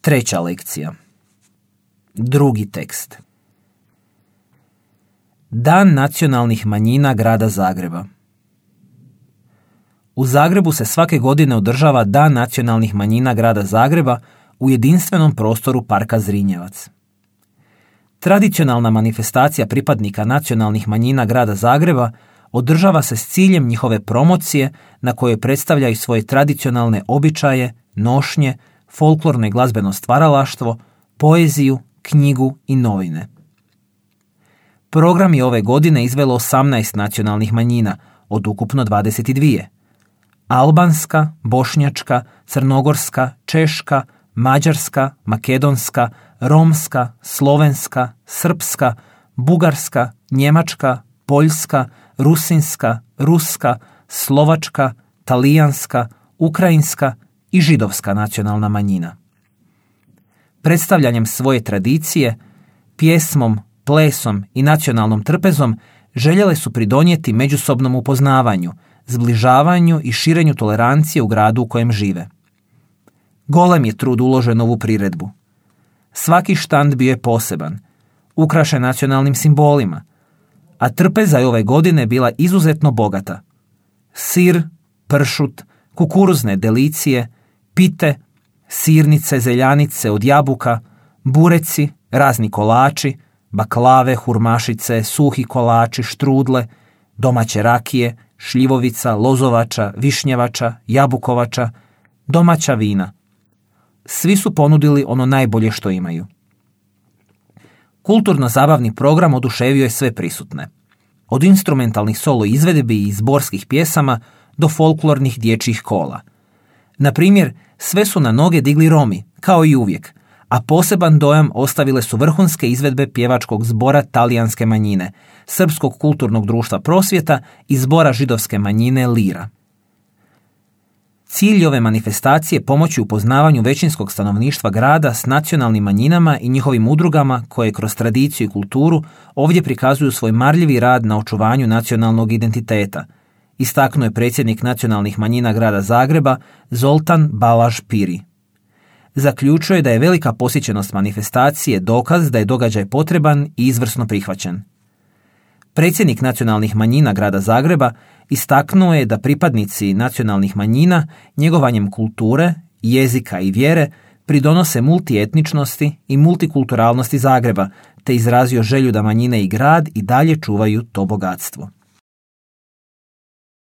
Treća lekcija. Drugi tekst. Dan nacionalnih manjina grada Zagreba. U Zagrebu se svake godine održava Dan nacionalnih manjina grada Zagreba u jedinstvenom prostoru Parka Zrinjevac. Tradicionalna manifestacija pripadnika nacionalnih manjina grada Zagreba održava se s ciljem njihove promocije na kojoj predstavljaju svoje tradicionalne običaje, nošnje, folklorno i glazbeno stvaralaštvo, poeziju, knjigu i novine. Program je ove godine izvelo 18 nacionalnih manjina od ukupno 22. Albanska, bošnjačka, crnogorska, češka, mađarska, makedonska, romska, slovenska, srpska, bugarska, njemačka, poljska, rusinska, ruska, slovačka, talijanska, ukrajinska i židovska nacionalna manjina. Predstavljanjem svoje tradicije, pjesmom, plesom i nacionalnom trpezom željele su pridonijeti međusobnom upoznavanju, zbližavanju i širenju tolerancije u gradu u kojem žive. Golem je trud uložen u ovu priredbu. Svaki štand bio je poseban, ukrašen nacionalnim simbolima, a trpeza je ove godine bila izuzetno bogata. Sir, pršut, kukuruzne delicije, pite, sirnice, zeljanice od jabuka, bureci, razni kolači, baklave, hurmašice, suhi kolači, štrudle, domaće rakije, šljivovica, lozovača, višnjevača, jabukovača, domaća vina. Svi su ponudili ono najbolje što imaju. Kulturno-zabavni program oduševio je sve prisutne. Od instrumentalnih solo izvedbi i zborskih pjesama do folklornih dječjih kola. Na primjer, sve su na noge digli Romi, kao i uvijek, a poseban dojam ostavile su vrhunske izvedbe pjevačkog zbora talijanske manjine, Srpskog kulturnog društva Prosvjeta i zbora židovske manjine Lira. Cilj ove manifestacije je pomoći u upoznavanju većinskog stanovništva grada s nacionalnim manjinama i njihovim udrugama koje kroz tradiciju i kulturu ovdje prikazuju svoj marljivi rad na očuvanju nacionalnog identiteta, istaknuo je predsjednik nacionalnih manjina grada Zagreba Zoltan Balaž Piri. Zaključuje da je velika posjećenost manifestacije dokaz da je događaj potreban i izvrsno prihvaćen. Predsjednik nacionalnih manjina grada Zagreba istaknuo je da pripadnici nacionalnih manjina njegovanjem kulture, jezika i vjere pridonose multietničnosti i multikulturalnosti Zagreba, te izrazio želju da manjine i grad i dalje čuvaju to bogatstvo.